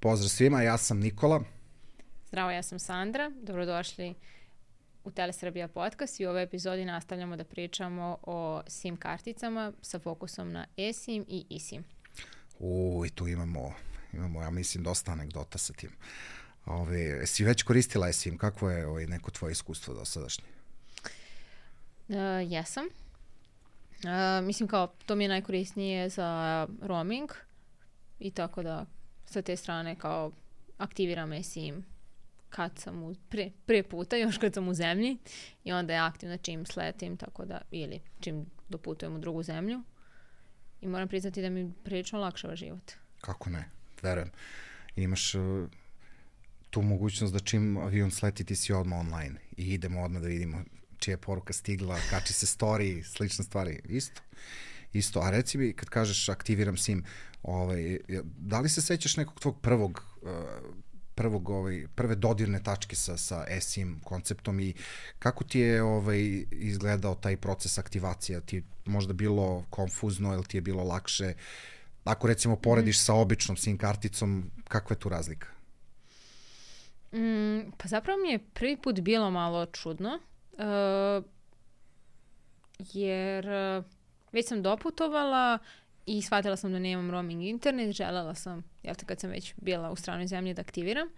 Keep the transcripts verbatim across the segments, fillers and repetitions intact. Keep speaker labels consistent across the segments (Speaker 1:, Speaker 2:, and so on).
Speaker 1: pozdrav svima, ja sam Nikola.
Speaker 2: Zdravo, ja sam Sandra. Dobrodošli u Telesrbija podcast i u ovoj epizodi nastavljamo da pričamo o SIM karticama sa fokusom na eSIM i eSIM.
Speaker 1: U, i tu imamo, imamo, ja mislim, dosta anegdota sa tim. Ove, si već koristila eSIM? Kakvo je ovaj, neko tvoje iskustvo do sadašnje?
Speaker 2: Uh, jesam. Uh, mislim kao, to mi je najkorisnije za roaming i tako da sa te strane kao aktiviram eSIM kad sam u, pre, pre puta, još kad sam u zemlji i onda je aktivna čim sletim, tako da, ili čim doputujem u drugu zemlju. I moram priznati da mi prilično lakšava život.
Speaker 1: Kako ne, verujem. Imaš uh, tu mogućnost da čim avion sleti ti si odmah online i idemo odmah da vidimo čija je poruka stigla, kači se story, slične stvari. Isto. Isto. A reci mi, kad kažeš aktiviram SIM, ovaj, da li se sećaš nekog tvog prvog, uh, prvog ovaj, prve dodirne tačke sa, sa eSIM konceptom i kako ti je ovaj, izgledao taj proces aktivacija? Ti je možda bilo konfuzno ili ti je bilo lakše? Ako recimo porediš mm. sa običnom SIM karticom, kakva je tu razlika?
Speaker 2: Mm, pa zapravo mi je prvi put bilo malo čudno, uh, jer uh, već sam doputovala i shvatila sam da nemam roaming internet, želela sam, jel te, kad sam već bila u stranoj zemlji da aktiviram.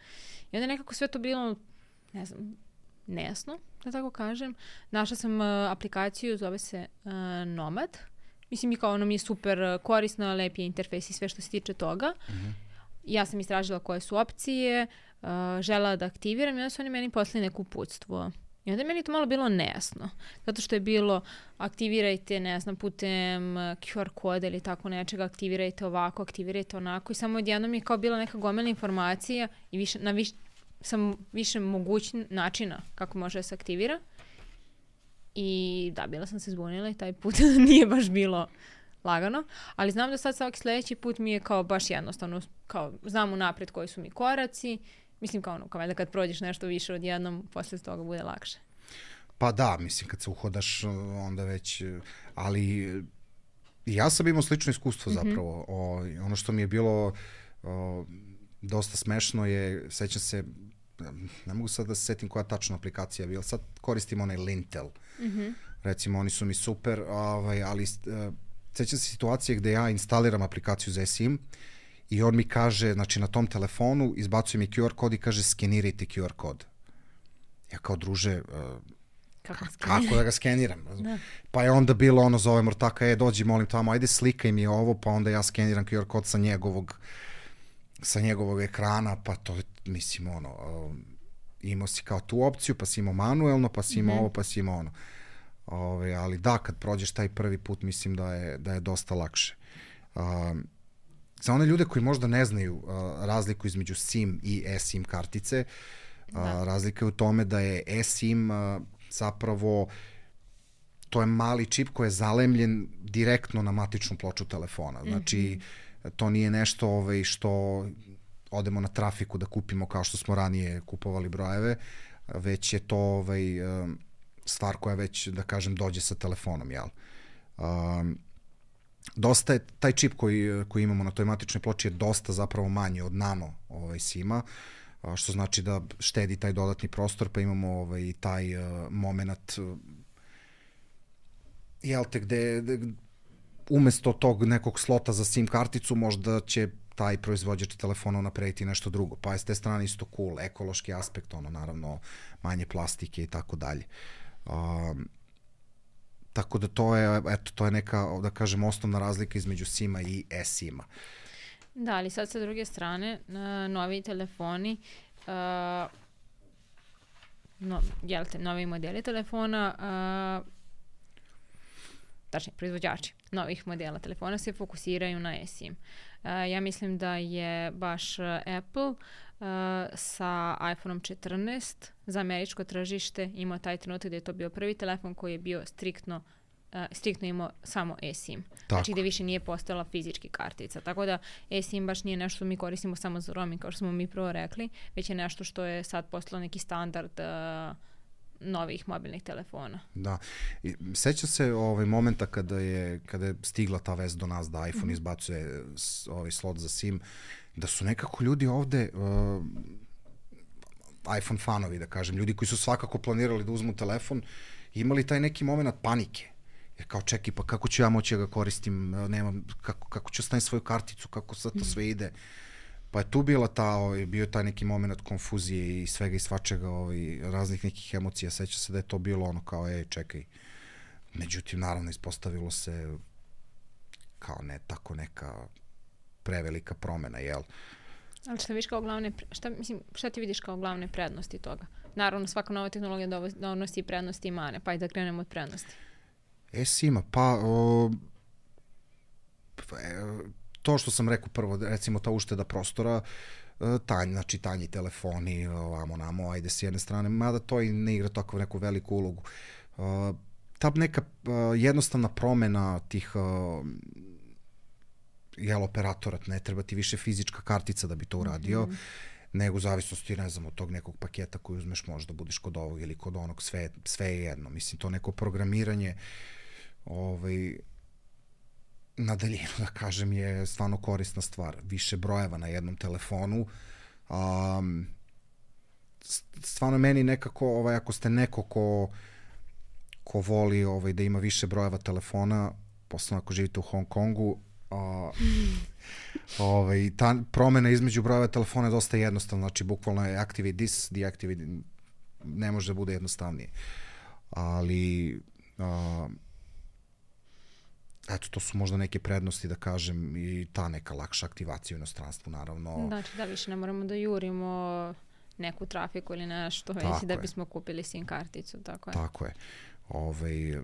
Speaker 2: I onda nekako sve to bilo, ne znam, nejasno, da tako kažem. Našla sam uh, aplikaciju, zove se uh, Nomad. Mislim, i kao ono mi je super korisno, lep je interfejs i sve što se tiče toga. Mm-hmm. Ja sam istražila koje su opcije, uh, želela da aktiviram i onda su oni meni poslali neku uputstvo. I onda je meni to malo bilo nejasno. Zato što je bilo aktivirajte, ne znam, putem Q R koda ili tako nečega, aktivirajte ovako, aktivirajte onako. I samo odjednom je kao bila neka gomila informacija i više, na viš, sam više mogućnih načina kako može da se aktivira. I da, bila sam se zbunila i taj put nije baš bilo lagano. Ali znam da sad svaki sljedeći put mi je kao baš jednostavno, kao znam unapred koji su mi koraci. Mislim kao ono, kao da kad prođeš nešto više odjednom, posle toga bude lakše.
Speaker 1: Pa da, mislim kad se uhodaš onda već, ali ja sam imao slično iskustvo zapravo. Mm-hmm. O, ono što mi je bilo o, dosta smešno je, sećam se, ne mogu sad da se setim koja tačna aplikacija je bila, sad koristim onaj Lintel. Mm-hmm. Recimo oni su mi super, ovaj, ali uh, sećam se situacije gde ja instaliram aplikaciju za eSIM i on mi kaže, znači na tom telefonu izbacuje mi Q R kod i kaže skenirajte Q R kod. Ja kao druže, uh, kako, kako da ga skeniram? Da. Pa je onda bilo ono, zove Mortaka, e dođi molim tamo, ajde slikaj mi ovo, pa onda ja skeniram Q R kod sa njegovog sa njegovog ekrana, pa to je, mislim, ono, uh, imao si kao tu opciju, pa si imao manuelno, pa si imao mm-hmm. ovo, pa si imao ono. Ove, ali da, kad prođeš taj prvi put, mislim da je, da je dosta lakše. Uh, Za one ljude koji možda ne znaju uh, razliku između SIM i eSIM kartice, uh, razlika je u tome da je eSIM uh, zapravo, to je mali čip koji je zalemljen direktno na matičnu ploču telefona. Znači, mm-hmm. to nije nešto ovaj, što odemo na trafiku da kupimo kao što smo ranije kupovali brojeve, već je to ovaj, uh, stvar koja već, da kažem, dođe sa telefonom, jel? Um, Dosta je, taj čip koji, koji imamo na toj matičnoj ploči je dosta zapravo manji od nano ovaj, SIM-a, što znači da štedi taj dodatni prostor, pa imamo ovaj, taj uh, moment uh, jel te, gde, gde umesto tog nekog slota za SIM karticu možda će taj proizvođač telefona unaprediti nešto drugo, pa je s te strane isto cool, ekološki aspekt, ono, naravno manje plastike i tako dalje. Um, Tako da to je, eto, to je neka, da kažem, osnovna razlika između SIM-a i eSIM-a.
Speaker 2: Da, ali sad sa druge strane, novi telefoni, uh, no, jel te, novi modeli telefona, uh, tačnije, proizvođači novih modela telefona se fokusiraju na eSIM. Uh, ja mislim da je baš Apple uh, sa iPhone četrnaest za američko tržište imao taj trenutak gde je to bio prvi telefon koji je bio striktno Uh, striktno imao samo eSIM. Tako. Znači gde više nije postojala fizički kartica. Tako da eSIM baš nije nešto što mi koristimo samo za roaming, kao što smo mi prvo rekli, već je nešto što je sad postalo neki standard uh, novih mobilnih telefona.
Speaker 1: Da. I seća se ovaj momenta kada je kada je stigla ta vest do nas da iPhone mm-hmm. izbacuje ovaj slot za SIM. da su nekako ljudi ovde, uh, iPhone fanovi, da kažem, ljudi koji su svakako planirali da uzmu telefon, imali taj neki moment panike. Jer kao, čekaj, pa kako ću ja moći da ga koristim, nemam, kako, kako ću staviti svoju karticu, kako sad to sve ide. Pa je tu bila ta, ovaj, bio taj neki moment konfuzije i svega i svačega, ovaj, raznih nekih emocija. Seća se da je to bilo ono kao, ej, čekaj. Međutim, naravno, ispostavilo se kao ne tako neka prevelika promena, jel?
Speaker 2: Ali šta vidiš kao glavne, šta, mislim, šta ti vidiš kao glavne prednosti toga? Naravno, svaka nova tehnologija donosi prednosti i mane, pa i da krenemo od prednosti.
Speaker 1: E, Sima, pa o, to što sam rekao prvo, recimo ta ušteda prostora, tanj, znači tanji telefoni, ovamo namo, ajde s jedne strane, mada to i ne igra tako neku veliku ulogu. Ta neka jednostavna promena tih jel, operatora, ne treba ti više fizička kartica da bi to uradio, mm-hmm. nego u zavisnosti, ne znam, od tog nekog paketa koji uzmeš, možda budeš kod ovog ili kod onog, sve, sve je jedno. Mislim, to neko programiranje ovaj, na daljinu, da kažem, je stvarno korisna stvar. Više brojeva na jednom telefonu. Um, stvarno meni nekako, ovaj, ako ste neko ko, ko voli ovaj, da ima više brojeva telefona, posebno ako živite u Hong Kongu, a, ovaj, ta promena između brojeva telefona je dosta jednostavna, znači bukvalno je activate this, deactivate, ne može da bude jednostavnije. Ali a, eto, to su možda neke prednosti, da kažem, i ta neka lakša aktivacija u inostranstvu, naravno.
Speaker 2: Znači da više ne moramo da jurimo neku trafiku ili nešto, već da bismo kupili SIM karticu, tako je.
Speaker 1: Tako je. Ovaj,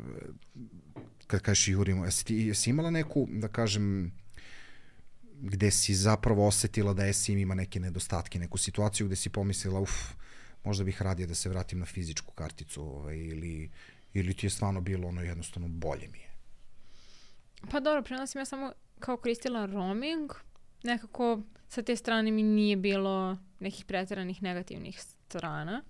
Speaker 1: kad kažeš jurimo, jesi, ti, jesi imala neku, da kažem, gde si zapravo osetila da SIM ima neke nedostatke, neku situaciju gde si pomislila, uf, možda bih radije da se vratim na fizičku karticu, ovaj, ili, ili ti je stvarno bilo ono jednostavno bolje mi je?
Speaker 2: Pa dobro, prema sam ja samo kao koristila roaming, nekako sa te strane mi nije bilo nekih pretjeranih negativnih strana.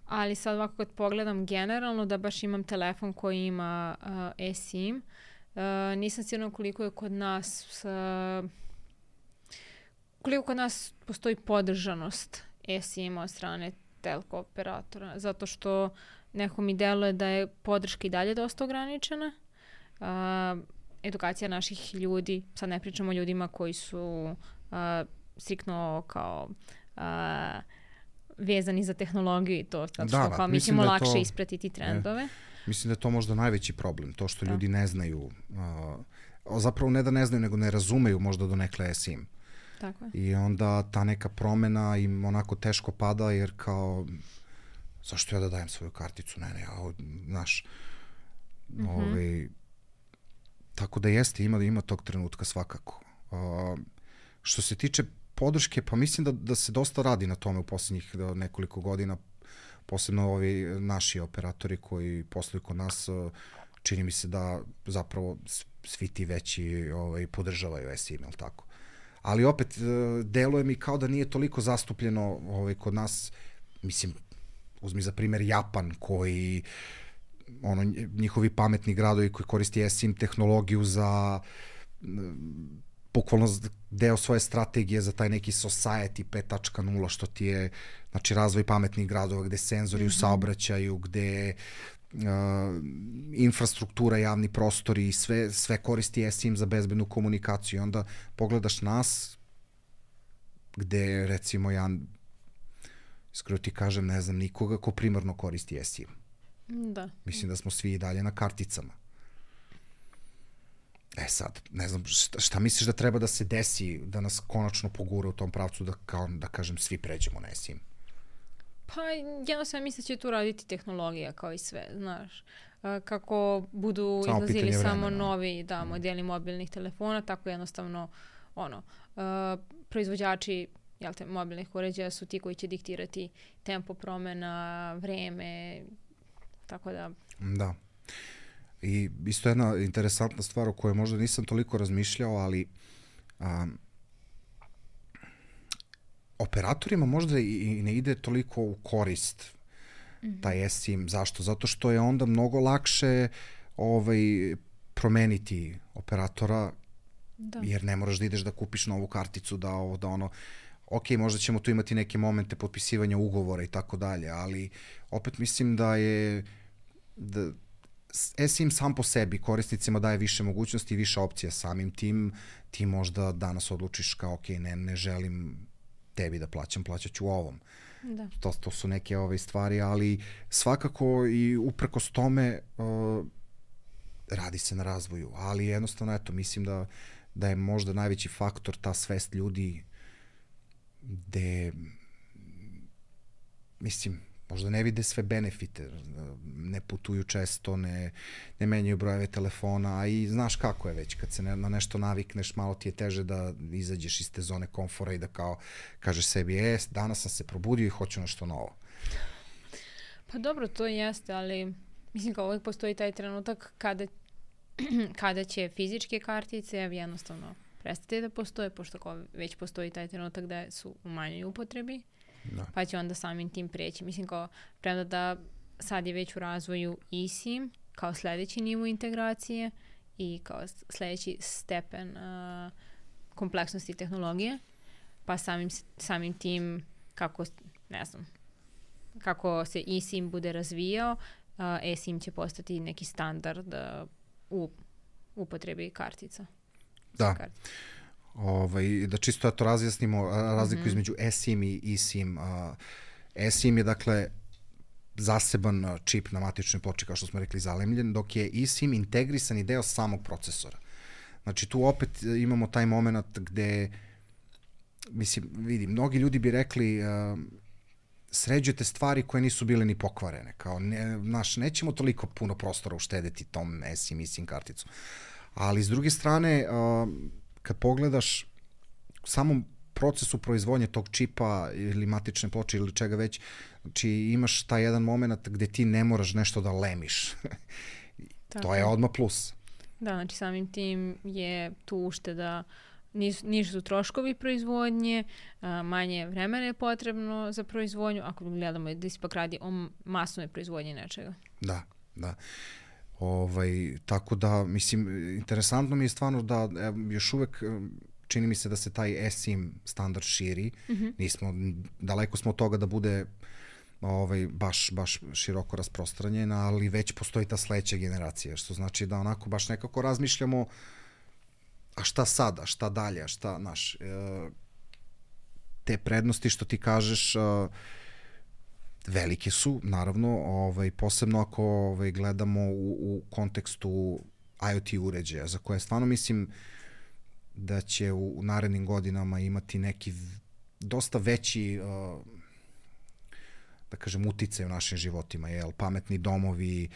Speaker 2: Ali sad ovako kad pogledam generalno da baš imam telefon koji ima uh, eSIM, uh, nisam sigurna koliko je kod nas uh, koliko kod nas postoji podržanost eSIM-a od strane telko operatora, zato što neko mi deluje da je podrška i dalje dosta ograničena. Uh, edukacija naših ljudi, sad ne pričamo o ljudima koji su uh, striktno kao uh, vezani za tehnologiju i to, zato što da, kao mi ćemo lakše to, ispratiti trendove.
Speaker 1: Ne, mislim da je to možda najveći problem, to što da. ljudi ne znaju, uh, zapravo ne da ne znaju, nego ne razumeju možda do nekle eSIM.
Speaker 2: Tako je.
Speaker 1: I onda ta neka promena im onako teško pada, jer kao, zašto ja da dajem svoju karticu? Ne, ne, ja, znaš, mm-hmm. ovaj, tako da jeste, ima, ima tog trenutka svakako. Uh, što se tiče podrške, pa mislim da, da se dosta radi na tome u posljednjih nekoliko godina, posebno ovi naši operatori koji posluju kod nas, čini mi se da zapravo svi ti veći ovaj, podržavaju eSIM, jel tako? Ali opet, deluje mi kao da nije toliko zastupljeno ovaj, kod nas, mislim, uzmi za primjer Japan, koji, ono, njihovi pametni gradovi koji koristi eSIM tehnologiju za bukvalno deo svoje strategije za taj neki society pet tačka nula, što ti je, znači, razvoj pametnih gradova gde senzori mm-hmm. u saobraćaju, gde uh, infrastruktura, javni prostori i sve, sve koristi eSIM za bezbednu komunikaciju. I onda pogledaš nas, gde, recimo, ja iskreno ti kažem, ne znam nikoga ko primarno koristi eSIM.
Speaker 2: Da.
Speaker 1: Mislim da smo svi i dalje na karticama. E sad, ne znam, šta, šta misliš da treba da se desi, da nas konačno pogura u tom pravcu da, kao, da kažem, svi pređemo na eSIM?
Speaker 2: Pa, jednostavno mislim da će tu raditi tehnologija kao i sve, znaš. Kako budu samo izlazili samo vremena. novi da, modeli mobilnih telefona, tako jednostavno, ono, uh, proizvođači jel te, mobilnih uređaja su ti koji će diktirati tempo promena, vreme, tako da...
Speaker 1: Da. I isto jedna interesantna stvar o kojoj možda nisam toliko razmišljao, ali um, operatorima možda i ne ide toliko u korist mm-hmm. taj eSIM. Zašto? Zato što je onda mnogo lakše ovaj, promeniti operatora
Speaker 2: Da.
Speaker 1: Jer ne moraš da ideš da kupiš novu karticu, da ovo, da ono, ok, možda ćemo tu imati neke momente potpisivanja ugovora i tako dalje, ali opet mislim da je da eSIM sam po sebi korisnicima daje više mogućnosti i više opcija samim tim. Ti možda danas odlučiš kao ok, ne, ne želim tebi da plaćam, plaćat ću ovom.
Speaker 2: Da.
Speaker 1: To, to su neke ove stvari, ali svakako i uprkos tome uh, radi se na razvoju, ali jednostavno, eto, mislim da, da je možda najveći faktor ta svest ljudi gde, mislim, možda ne vide sve benefite, ne putuju često, ne, ne menjaju brojeve telefona, a i znaš kako je već, kad se ne, na nešto navikneš, malo ti je teže da izađeš iz te zone komfora i da kao kažeš sebi, e, danas sam se probudio i hoću nešto novo.
Speaker 2: Pa dobro, to jeste, ali mislim kao uvijek postoji taj trenutak kada, kada će fizičke kartice jednostavno prestati da postoje, pošto kao već postoji taj trenutak da su u manjoj upotrebi. Da. Pa će onda samim tim preći. Mislim kao, premda da sad je već u razvoju eSIM kao sledeći nivo integracije i kao sledeći stepen uh, kompleksnosti tehnologije, pa samim, samim tim kako, ne znam, kako se eSIM bude razvijao, uh, eSIM će postati neki standard uh, u upotrebi kartica.
Speaker 1: Da. Kartica. Ovaj, da čisto ja to razjasnimo, razliku mm-hmm. između eSIM i eSIM. Uh, eSIM je dakle zaseban čip na matičnoj ploči, kao što smo rekli, zalemljen, dok je eSIM integrisani deo samog procesora. Znači tu opet imamo taj moment gde, mislim, vidi, mnogi ljudi bi rekli uh, sređujete stvari koje nisu bile ni pokvarene. Kao, ne, naš, nećemo toliko puno prostora uštedeti tom eSIM, eSIM karticu. Ali s druge strane, uh, kad pogledaš u samom procesu proizvodnje tog čipa ili matične ploče ili čega već, znači imaš taj jedan moment gde ti ne moraš nešto da lemiš. To je odmah plus.
Speaker 2: Da, znači samim tim je tu ušteda, nisu, nisu su troškovi proizvodnje, manje vremena je potrebno za proizvodnju, ako gledamo da se pak radi o masnoj proizvodnji nečega.
Speaker 1: Da, da. Ovaj, tako da, mislim, interesantno mi je stvarno da e, još uvek čini mi se da se taj eSIM standard širi. Mm-hmm. Nismo, daleko smo od toga da bude ovaj, baš, baš široko rasprostranjen, ali već postoji ta sledeća generacija, što znači da onako baš nekako razmišljamo a šta sada, šta dalje, šta, znaš, e, te prednosti što ti kažeš e, velike su, naravno, ovaj, posebno ako ovaj, gledamo u, u kontekstu IoT uređaja, za koje stvarno mislim da će u, u narednim godinama imati neki dosta veći, uh, da kažem, uticaj u našim životima, jel? Pametni domovi,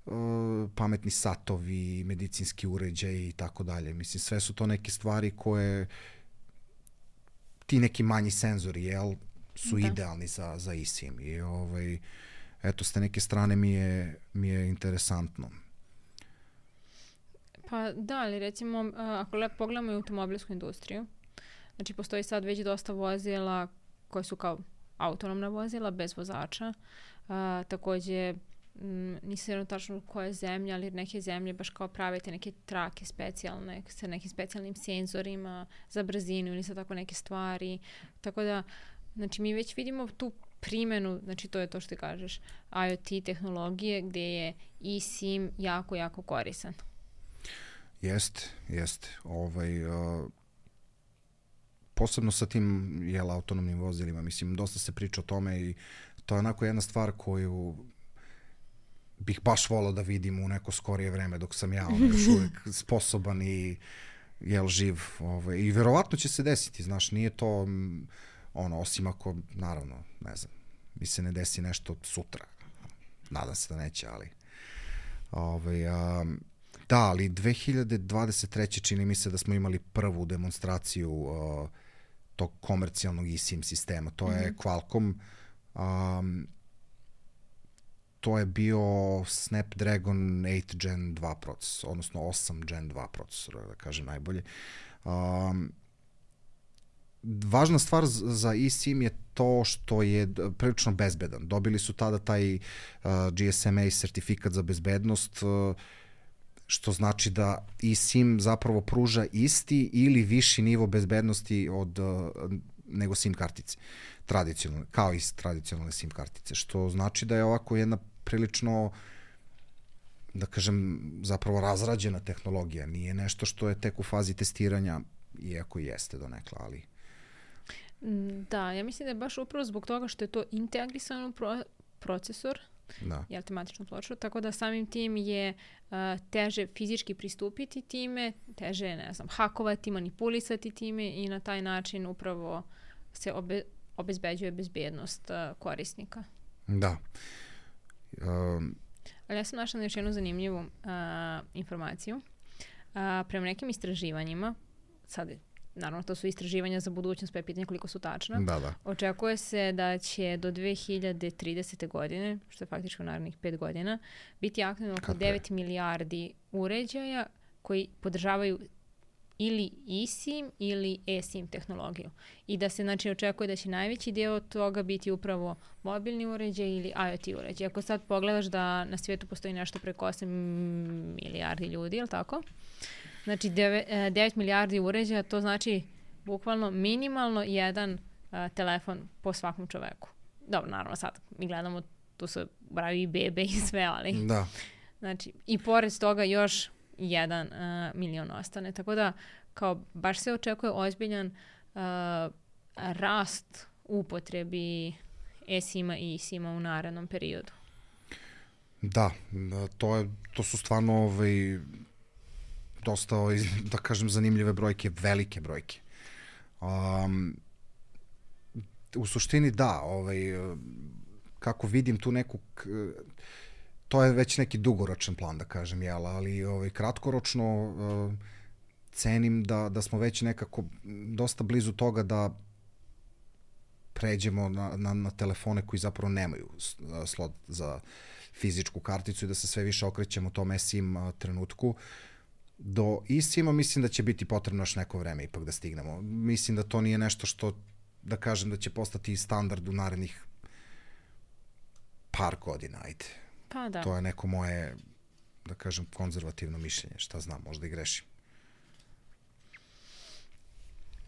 Speaker 1: uh, pametni satovi, medicinski uređaji i tako dalje. Mislim, sve su to neke stvari koje ti neki manji senzori, jel? Su da. Idealni za, za eSIM i ovaj, eto, s te neke strane mi je, mi je interesantno.
Speaker 2: Pa da, ali recimo, ako lepo pogledamo i automobilsku industriju, znači postoji sad već dosta vozila koje su kao autonomna vozila, bez vozača. A, takođe, m, nisam jedno tačno koje zemlje, ali neke zemlje baš kao pravite neke trake specijalne, sa nekim specijalnim senzorima za brzinu ili sa tako neke stvari. Tako da, znači mi već vidimo tu primenu, znači to je to što ti kažeš, IoT tehnologije gde je eSIM jako, jako koristan.
Speaker 1: Jeste, jeste. Ovaj, uh, posebno sa tim jel, autonomnim vozilima, mislim, dosta se priča o tome i to je onako jedna stvar koju bih baš volao da vidim u neko skorije vreme dok sam ja ono, još uvek sposoban i jel, živ. Ovaj, i verovatno će se desiti, znaš, nije to ono, osim ako, naravno, ne znam, mi se ne desi nešto sutra. Nadam se da neće, ali ovaj, um, da, ali dve hiljade dvadeset treće čini mi se da smo imali prvu demonstraciju uh, tog komercijalnog eSIM sistema. To mm-hmm. je Qualcomm. Um, to je bio Snapdragon osam gen dva procesor, odnosno osam gen dva procesor, da kažem najbolje. Um, važna stvar za eSIM je to što je prilično bezbedan. Dobili su tada taj uh, G S M A sertifikat za bezbednost, uh, što znači da eSIM zapravo pruža isti ili viši nivo bezbednosti od, nego SIM kartice, tradicionalne, kao i tradicionalne SIM kartice, što znači da je ovako jedna prilično, da kažem, zapravo razrađena tehnologija. Nije nešto što je tek u fazi testiranja, iako jeste donekle, ali...
Speaker 2: Da, ja mislim da je baš upravo zbog toga što je to integrisan u pro procesor,
Speaker 1: da.
Speaker 2: Jel, tematičnu ploču, tako da samim tim je uh, teže fizički pristupiti time, teže, ne znam, hakovati, manipulisati time i na taj način upravo se obe, obezbeđuje bezbednost uh, korisnika.
Speaker 1: Da. Um,
Speaker 2: Ali ja sam našla na još jednu zanimljivu uh, informaciju. Uh, prema nekim istraživanjima, sad naravno to su istraživanja za budućnost, pa je pitanje koliko su tačna.
Speaker 1: Da, da.
Speaker 2: Očekuje se da će do dve hiljade tridesete. godine, što je faktički u narednih pet godina, biti aktivno oko devet milijardi uređaja koji podržavaju ili eSIM ili eSIM tehnologiju. I da se znači očekuje da će najveći dio toga biti upravo mobilni uređaj ili IoT uređaj. Ako sad pogledaš da na svijetu postoji nešto preko osam milijardi ljudi, je li tako? Znači devet milijardi uređaja, to znači bukvalno minimalno jedan uh, telefon po svakom čoveku. Dobro, naravno sad mi gledamo, tu se bravi i bebe i sve, ali...
Speaker 1: Da.
Speaker 2: Znači, i pored toga još jedan uh, milion ostane. Tako da, kao, baš se očekuje ozbiljan uh, rast upotrebi eSIM-a i eSIM-a u narednom periodu.
Speaker 1: Da, to, je, to su stvarno ovaj, dosta, ovaj, da kažem, zanimljive brojke, velike brojke. Um, u suštini da, ovaj, kako vidim tu neku... To je već neki dugoročan plan, da kažem, jel, ali ovaj, kratkoročno uh, cenim da, da smo već nekako dosta blizu toga da pređemo na, na, na telefone koji zapravo nemaju slot za fizičku karticu i da se sve više okrećemo tom eSIM trenutku. Do eSIM-a mislim da će biti potrebno još neko vreme ipak da stignemo. Mislim da to nije nešto što, da kažem, da će postati standard u narednih par godina, ajde.
Speaker 2: Pa da.
Speaker 1: To je neko moje, da kažem, konzervativno mišljenje. Šta znam, možda i grešim.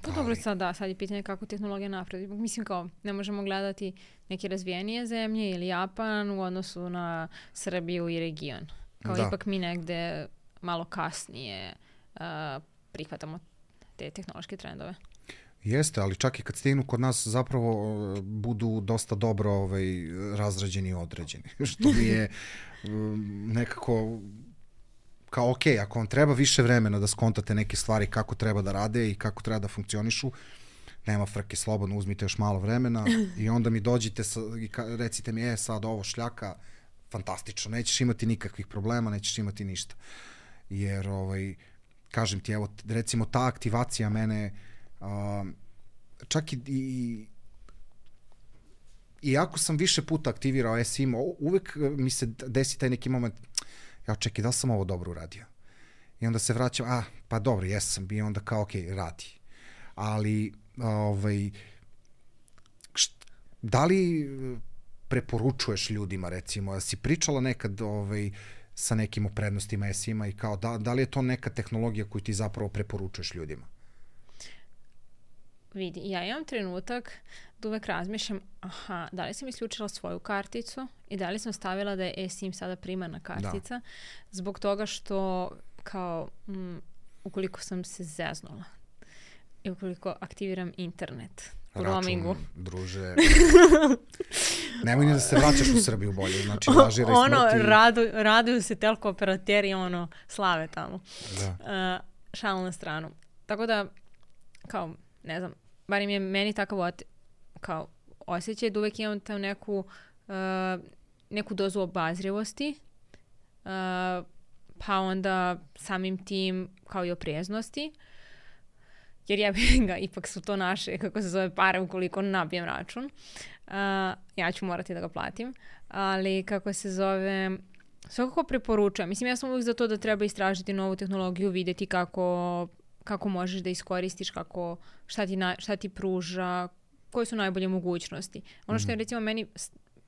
Speaker 2: Pa ali... dobro, sad da, sad je pitanje kako tehnologija napredi. Mislim kao, ne možemo gledati neke razvijenije zemlje ili Japan u odnosu na Srbiju i region. Kao da. Ipak mi negde malo kasnije uh, prihvatamo te tehnološke trendove.
Speaker 1: Jeste, ali čak i kad stignu kod nas zapravo budu dosta dobro ovaj, razrađeni i određeni. Što mi je um, nekako kao ok, ako vam treba više vremena da skontate neke stvari kako treba da rade i kako treba da funkcionišu, nema frke, slobodno uzmite još malo vremena i onda mi dođite sa, i ka, recite mi, e sad ovo šljaka, fantastično, nećeš imati nikakvih problema, nećeš imati ništa. Jer, ovaj, kažem ti, evo, recimo ta aktivacija mene, Uh, čak i, i iako sam više puta aktivirao eSIM, uvek mi se desi taj neki moment, ja čekaj, da li sam ovo dobro uradio? I onda se vraćam, a, pa dobro, jesam, i onda kao, ok, radi. Ali, ovaj, št, da li preporučuješ ljudima, recimo, da si pričala nekad, ovaj, sa nekim o prednostima eSIM-a i kao, da, da li je to neka tehnologija koju ti zapravo preporučuješ ljudima?
Speaker 2: Vidi, ja imam trenutak da uvek razmišljam, aha, da li sam isključila svoju karticu i da li sam stavila da je eSIM sada primarna kartica, da. Zbog toga što kao, m, ukoliko sam se zeznula i ukoliko aktiviram internet u roamingu.
Speaker 1: Druže, nemoj ni da se vraćaš u Srbiju bolje, znači lažira i
Speaker 2: ono,
Speaker 1: smrti.
Speaker 2: Radu, raduju se telko operateri, ono, slave tamo.
Speaker 1: Da.
Speaker 2: Uh, šalu na stranu. Tako da, kao, ne znam, barim je meni takav ot, kao osjećaj da uvek imam tam neku, uh, neku dozu obazrivosti, uh, pa onda samim tim kao i opreznosti, jer ja bih ga, ipak su to naše, kako se zove, pare ukoliko nabijem račun. Uh, ja ću morati da ga platim, ali kako se zove, svakako preporučujem. Mislim, ja sam uvijek za to da treba istražiti novu tehnologiju, vidjeti kako kako možeš da iskoristiš, kako, šta ti, na, šta ti pruža, koje su najbolje mogućnosti. Ono što je recimo meni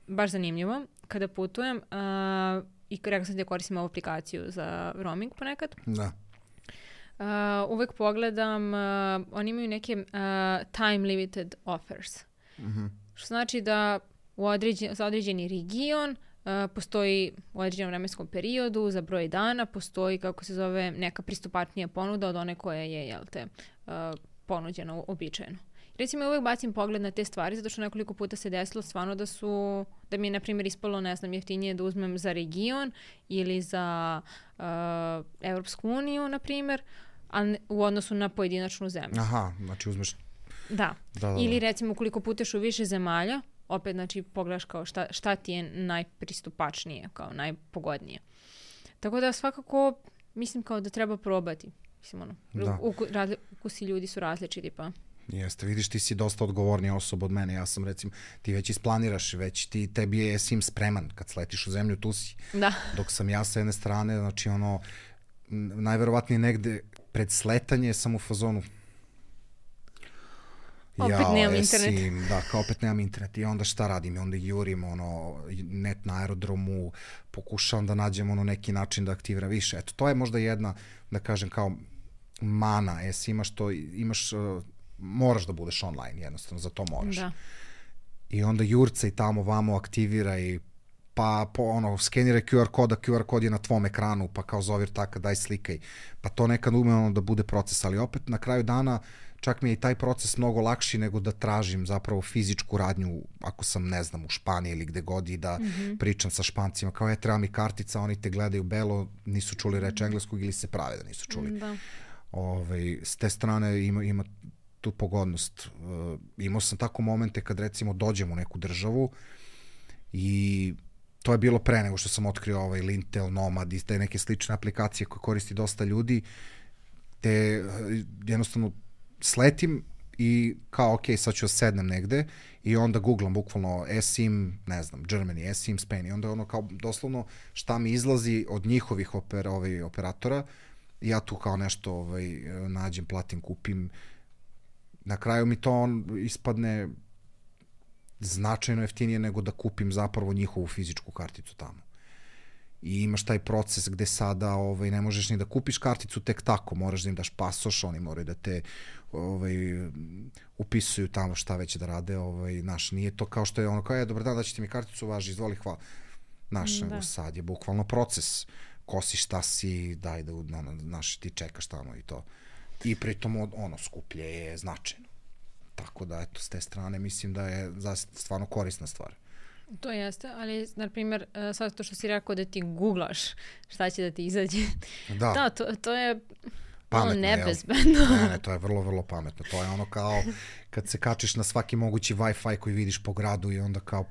Speaker 2: baš zanimljivo, kada putujem, uh, i rekao sam da koristim ovu aplikaciju za roaming ponekad.
Speaker 1: Da.
Speaker 2: Uh, uvek pogledam, uh, oni imaju neke uh, time limited offers.
Speaker 1: Mhm.
Speaker 2: Što znači da u određen, za određeni region uh, postoji u određenom vremenskom periodu, za broj dana postoji, kako se zove, neka pristupačnija ponuda od one koja je, jel te, uh, ponuđena uobičajeno. Recimo, ja uvek bacim pogled na te stvari, zato što nekoliko puta se desilo stvarno da su, da mi je, na primjer, ispalo, ne znam, jeftinije da uzmem za region ili za uh, Evropsku uniju, na primjer, a ne, u odnosu na pojedinačnu zemlju.
Speaker 1: Aha, znači uzmeš...
Speaker 2: Da.
Speaker 1: Da, da,
Speaker 2: Ili
Speaker 1: da.
Speaker 2: recimo ukoliko puteš u više zemalja, opet znači pogledaš kao šta, šta ti je najpristupačnije, kao najpogodnije. Tako da svakako mislim kao da treba probati. Mislim ono,
Speaker 1: Da.
Speaker 2: uku, razli, ukusi ljudi su različiti pa.
Speaker 1: Jeste, vidiš, ti si dosta odgovornija osoba od mene. Ja sam, recimo, ti već isplaniraš, već ti, tebi je sim spreman. Kad sletiš u zemlju, tu si.
Speaker 2: Da.
Speaker 1: Dok sam ja sa jedne strane, znači ono, n- najverovatnije negde pred sletanje sam u fazonu.
Speaker 2: Opet nemam internet.
Speaker 1: Sim, da, kao opet nemam internet. I onda šta radim? I onda jurim ono, net na aerodromu, pokušavam da nađem ono neki način da aktiviram više. Eto, to je možda jedna, da kažem, kao mana e-sima, što imaš, uh, moraš da budeš online, jednostavno, za to moraš.
Speaker 2: Da.
Speaker 1: I onda jurca i tamo vamo aktivira i pa po, ono, skeniraj Q R koda, Q R kod je na tvom ekranu, pa kao zovi taka, daj slikaj. Pa to nekad ume ono da bude proces, ali opet na kraju dana čak mi je i taj proces mnogo lakši nego da tražim zapravo fizičku radnju, ako sam, ne znam, u Španiji ili gde god i da mm-hmm. pričam sa Špancima, kao je, treba mi kartica, oni te gledaju belo, nisu čuli reč engleskog ili se prave da nisu čuli.
Speaker 2: Da.
Speaker 1: Ove, s te strane ima, ima tu pogodnost. Uh, imao sam tako momente kad recimo dođem u neku državu i to je bilo pre nego što sam otkrio ovaj Lintel, Nomad i te neke slične aplikacije koje koristi dosta ljudi, te uh, jednostavno sletim i kao ok, sad ću sednem negde i onda googlam bukvalno eSIM, ne znam, Germany, eSIM, Spain i onda ono kao doslovno šta mi izlazi od njihovih oper, ovaj, operatora, ja tu kao nešto ovaj, nađem, platim, kupim. Na kraju mi to on ispadne značajno jeftinije nego da kupim zapravo njihovu fizičku karticu tamo. I imaš taj proces gde sada ovaj, ne možeš ni da kupiš karticu tek tako, moraš da im daš pasoš, oni moraju da te ovaj, upisuju tamo šta već da rade. Ovaj, naš, nije to kao što je ono kao, je, dobar dan, daćete mi karticu, važi, izvoli, hvala. Naš,
Speaker 2: Da.
Speaker 1: sad je bukvalno proces. Ko si, šta si, daj da, ono, naš, ti čekaš tamo i to. I pritom ono, skuplje je značajno. Tako da, eto, s te strane mislim da je stvarno korisna stvar.
Speaker 2: To jeste, ali, na primjer, sad to što si rekao da ti googlaš šta će da ti izađe.
Speaker 1: Da,
Speaker 2: Da, to, to je
Speaker 1: pametno,
Speaker 2: ono
Speaker 1: jel?
Speaker 2: nebezbedno.
Speaker 1: Ne, ne, to je vrlo, vrlo pametno. To je ono kao kad se kačiš na svaki mogući Wi-Fi koji vidiš po gradu i onda kao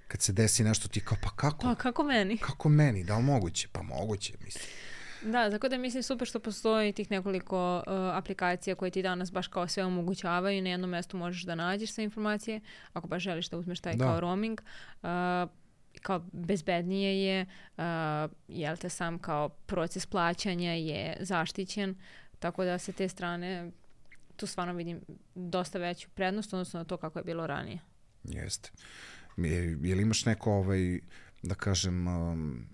Speaker 1: kad se desi nešto ti kao, pa kako?
Speaker 2: Pa kako meni?
Speaker 1: Kako meni? Da li moguće? Pa moguće, mislim.
Speaker 2: Da, tako da mislim super što postoji tih nekoliko uh, aplikacija koje ti danas baš kao sve omogućavaju i na jednom mjestu možeš da nađeš sve informacije, ako baš želiš da uzmeš taj
Speaker 1: Da.
Speaker 2: kao roaming. Uh, kao bezbednije je, uh, jel te sam kao proces plaćanja je zaštićen, tako da se te strane tu stvarno vidim dosta veću prednost odnosno na to kako je bilo ranije.
Speaker 1: Jeste. Je, je li imaš neko, ovaj, da kažem, um,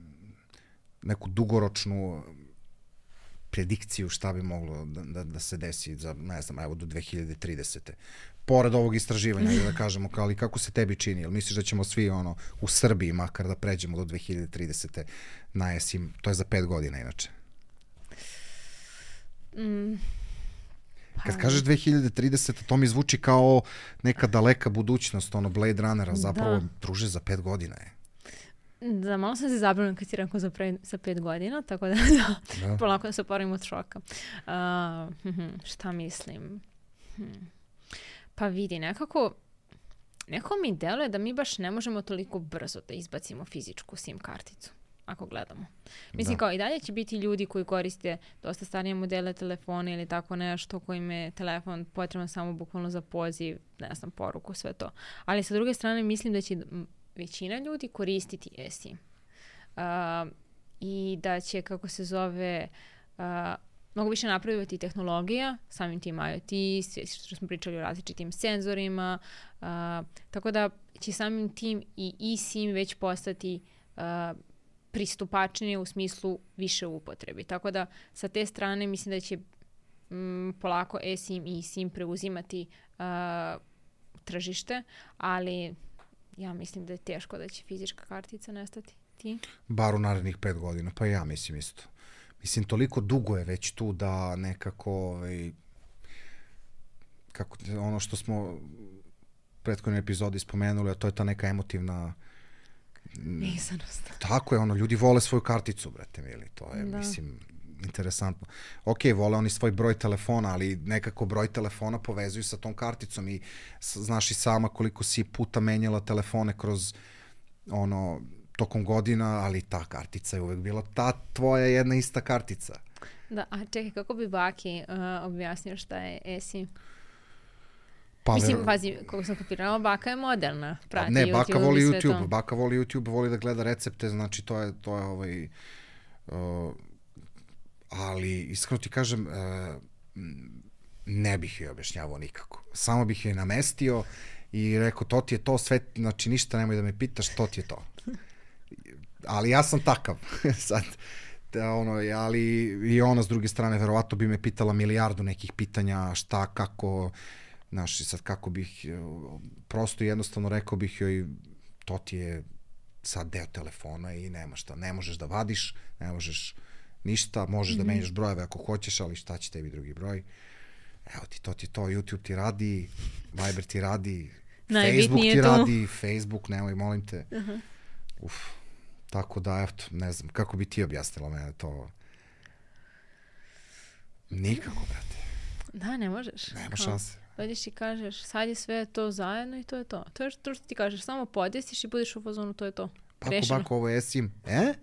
Speaker 1: neku dugoročnu predikciju šta bi moglo da, da, da se desi za, ne znam, evo do dve hiljade tridesete. Pored ovog istraživanja, da kažemo, kao, ali kako se tebi čini? Jel misliš da ćemo svi ono, u Srbiji makar da pređemo do dve hiljade tridesete na eSIM? To je za pet godina inače.
Speaker 2: Mm.
Speaker 1: Kad kažeš dve hiljade tridesete, to mi zvuči kao neka daleka budućnost, ono Blade Runnera, zapravo
Speaker 2: Da.
Speaker 1: druže za pet godina je.
Speaker 2: Da, malo sam se zabrinula kad si rekao za, pre, za pet godina, tako da, da,
Speaker 1: Da.
Speaker 2: polako da se oporavim od šoka. Uh, hm, šta mislim? Hm. Pa vidi, nekako, nekako mi deluje da mi baš ne možemo toliko brzo da izbacimo fizičku SIM karticu, ako gledamo. Mislim,
Speaker 1: Da.
Speaker 2: kao i dalje će biti ljudi koji koriste dosta starije modele telefona ili tako nešto, kojim je telefon potreban samo bukvalno za poziv, ne znam, poruku, sve to. Ali sa druge strane mislim da će m, većina ljudi koristiti eSIM. Uh, I da će, kako se zove, uh, mnogo više napredovati tehnologija, samim tim IoT, sve što smo pričali o različitim senzorima, uh, tako da će samim tim i eSIM već postati uh, pristupačnije u smislu više upotrebi. Tako da sa te strane mislim da će m, polako eSIM i SIM preuzimati uh, tržište, ali ja mislim da je teško da će fizička kartica nestati. Ti?
Speaker 1: Bar u narednih pet godina, pa ja mislim isto. Mislim, toliko dugo je već tu da nekako ovaj, kako, ono što smo u prethodnoj epizodi spomenuli, a to je ta neka emotivna
Speaker 2: vezanost.
Speaker 1: Tako je, ono, ljudi vole svoju karticu, brate mili, to je, da. Mislim, interesantno. Ok, vole oni svoj broj telefona, ali nekako broj telefona povezuju sa tom karticom i znaš i sama koliko si puta menjala telefone kroz ono, tokom godina, ali ta kartica je uvek bila ta tvoja jedna ista kartica.
Speaker 2: Da, a čekaj, kako bi Baki uh, objasnio šta je eSIM?
Speaker 1: Pa,
Speaker 2: Mislim, pazi, kako sam kapirala, baka je moderna. Prati
Speaker 1: ne,
Speaker 2: YouTube
Speaker 1: baka voli YouTube,
Speaker 2: to.
Speaker 1: baka voli YouTube, voli da gleda recepte, znači to je, to je ovaj, uh, ali iskreno ti kažem, uh, ne bih joj objašnjavao nikako. Samo bih joj namestio i rekao, to ti je to, sve, znači ništa nemoj da me pitaš, to ti je to. Ali ja sam takav, sad, da, ono, ali i ona s druge strane, verovatno bi me pitala milijardu nekih pitanja, šta, kako, znaš, sad kako bih, prosto jednostavno rekao bih joj, to ti je sad deo telefona i nema šta, ne možeš da vadiš, ne možeš ništa, možeš mm-hmm. da menjaš brojeve ako hoćeš, ali šta će tebi drugi broj? Evo ti, to ti to, YouTube ti radi, Viber ti radi, Facebook ti to. radi, Facebook, nemoj, molim te. Uh-huh. Uf, tako da, eto, ne znam, kako bi ti objasnila mene to? Nikako, brate.
Speaker 2: Da, ne možeš.
Speaker 1: Nema šanse.
Speaker 2: Dođeš i kažeš, sad je sve to zajedno i to je to. To je to što ti kažeš, samo podesiš i budeš u fazonu, to je to.
Speaker 1: Bako, bako, ovo je eSIM. E?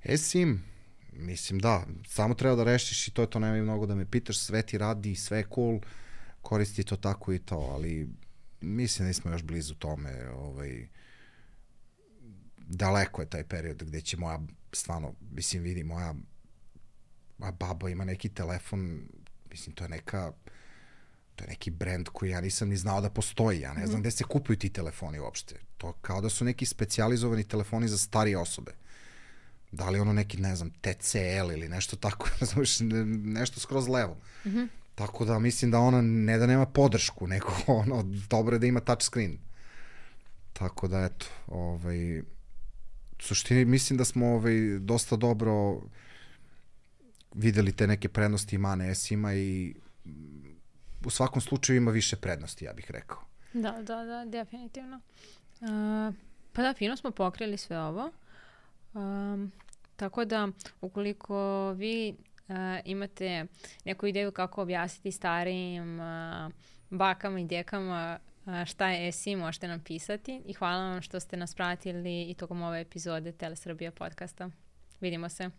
Speaker 1: eSIM. Mislim, da. Samo treba da rešiš i to je to, nemoj mnogo da me pitaš, sve ti radi, sve je cool, koristi to tako i to, ali mislim da nismo još blizu tome. Ovaj, daleko je taj period gde će moja, stvarno, mislim, vidi, moja baba ima neki telefon, mislim, to je neka, to je neki brend koji ja nisam ni znao da postoji, ja ne znam mm-hmm. gde se kupuju ti telefoni uopšte. To kao da su neki specijalizovani telefoni za starije osobe. Da li ono neki, ne znam, T C L ili nešto tako, nešto skroz levo. Mm-hmm. Tako da mislim da ona ne da nema podršku, nego ono, dobro je da ima touch screen. Tako da, eto, ovaj, u suštini mislim da smo ovaj, dosta dobro videli te neke prednosti i mane eSIM-a i u svakom slučaju ima više prednosti, ja bih rekao.
Speaker 2: Da, da, da, definitivno. Uh, pa da, fino smo pokrili sve ovo. Um, tako da, ukoliko vi uh, imate neku ideju kako objasniti starijim uh, bakama i djekama uh, šta je eSIM, možete nam pisati i hvala vam što ste nas pratili i tokom ove epizode Telesrbija podcasta. Vidimo se.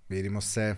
Speaker 1: Vidimo se.